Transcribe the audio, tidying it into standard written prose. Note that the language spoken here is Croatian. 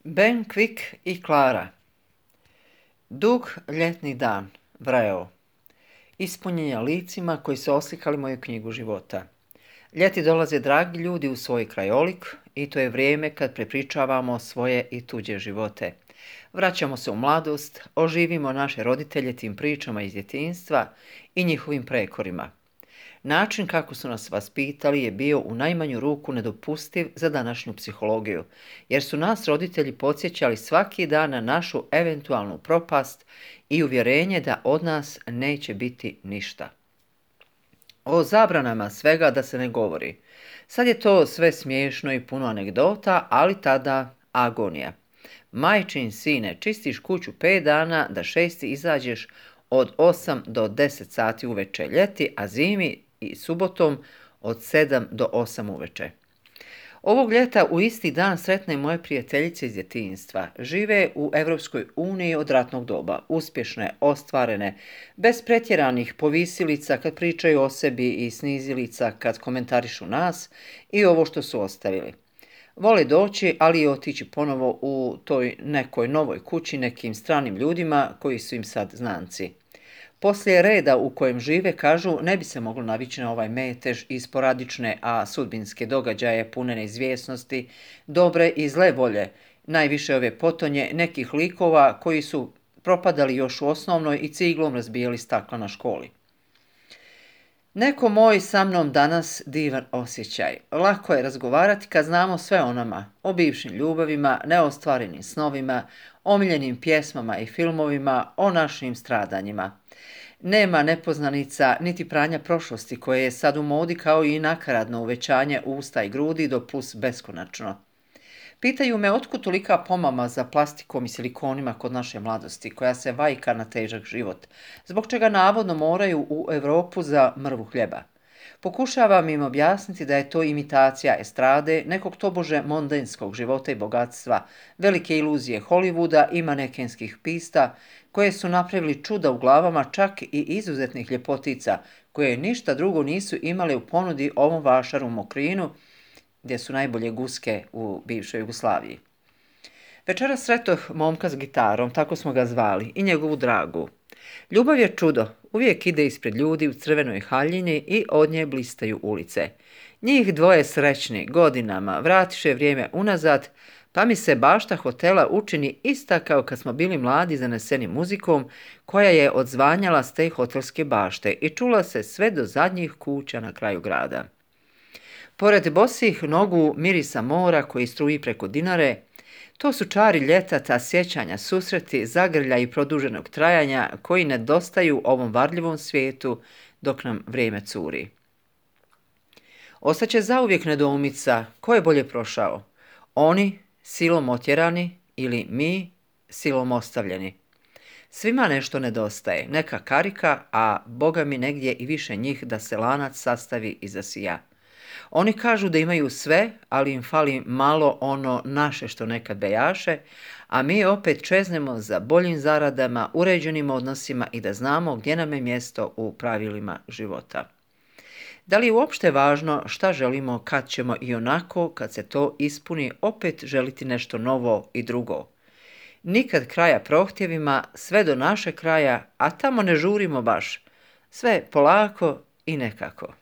Ben Quick i Klara. Dug ljetni dan, vreo. Ispunjenja licima koji su oslikali moju knjigu života. Ljeti dolaze dragi ljudi u svoj krajolik i to je vrijeme kad prepričavamo svoje i tuđe živote. Vraćamo se u mladost, oživimo naše roditelje tim pričama iz djetinjstva i njihovim prekorima. Način kako su nas vaspitali je bio u najmanju ruku nedopustiv za današnju psihologiju, jer su nas roditelji podsjećali svaki dan na našu eventualnu propast i uvjerenje da od nas neće biti ništa. O zabranama svega da se ne govori. Sad je to sve smiješno i puno anegdota, ali tada agonija. Majčin sine, čistiš kuću 5 dana da 6. izađeš od 8 do 10 sati uveče ljeti, a zimi i subotom od 7 do 8 uveče. Ovog ljeta u isti dan sretne moje prijateljice iz djetinjstva. Žive u Europskoj uniji od ratnog doba, uspješne, ostvarene, bez pretjeranih povisilica kad pričaju o sebi i snizilica kad komentarišu nas i ovo što su ostavili. Vole doći, ali i otići ponovo u toj nekoj novoj kući nekim stranim ljudima koji su im sad znanci. Poslije reda u kojem žive, kažu, ne bi se moglo navići na ovaj metež i sporadične, a sudbinske događaje pune neizvjesnosti, dobre i zle volje, najviše ove potonje nekih likova koji su propadali još u osnovnoj i ciglom razbijali stakla na školi. Neko moj sa mnom danas divan osjećaj. Lako je razgovarati kad znamo sve o nama, o bivšim ljubavima, neostvarenim snovima, omiljenim pjesmama i filmovima, o našim stradanjima. Nema nepoznanica niti pranja prošlosti koje je sad u modi kao i nakaradno uvećanje usta i grudi do plus beskonačno. Pitaju me otkud tolika pomama za plastikom i silikonima kod naše mladosti, koja se vajka na težak život, zbog čega navodno moraju u Europu za mrvu hljeba. Pokušavam im objasniti da je to imitacija estrade, nekog tobože mondenskog života i bogatstva, velike iluzije Hollywooda i manekenskih pista, koje su napravili čuda u glavama čak i izuzetnih ljepotica, koje ništa drugo nisu imale u ponudi ovom vašaru Mokrinu, gdje su najbolje guske u bivšoj Jugoslaviji. Večeras sretoh momka s gitarom, tako smo ga zvali, i njegovu dragu. Ljubav je čudo, uvijek ide ispred ljudi u crvenoj haljini i od nje blistaju ulice. Njih dvoje srećni, godinama, vratiše vrijeme unazad, pa mi se bašta hotela učini ista kao kad smo bili mladi zaneseni muzikom, koja je odzvanjala s te hotelske bašte i čula se sve do zadnjih kuća na kraju grada. Pored bosih nogu mirisa mora koji struji preko Dinare, to su čari ljeta, ta sjećanja, susreti, zagrlja i produženog trajanja koji nedostaju ovom varljivom svijetu dok nam vrijeme curi. Ostaće zauvijek nedoumica ko je bolje prošao, oni silom otjerani ili mi silom ostavljeni. Svima nešto nedostaje, neka karika, a Boga mi negdje i više njih da se lanac sastavi i zasija. Oni kažu da imaju sve, ali im fali malo ono naše što nekad bejaše, a mi opet čeznemo za boljim zaradama, uređenim odnosima i da znamo gdje nam je mjesto u pravilima života. Da li je uopšte važno šta želimo kad ćemo i onako, kad se to ispuni, opet želiti nešto novo i drugo? Nikad kraja prohtjevima, sve do našeg kraja, a tamo ne žurimo baš. Sve polako i nekako.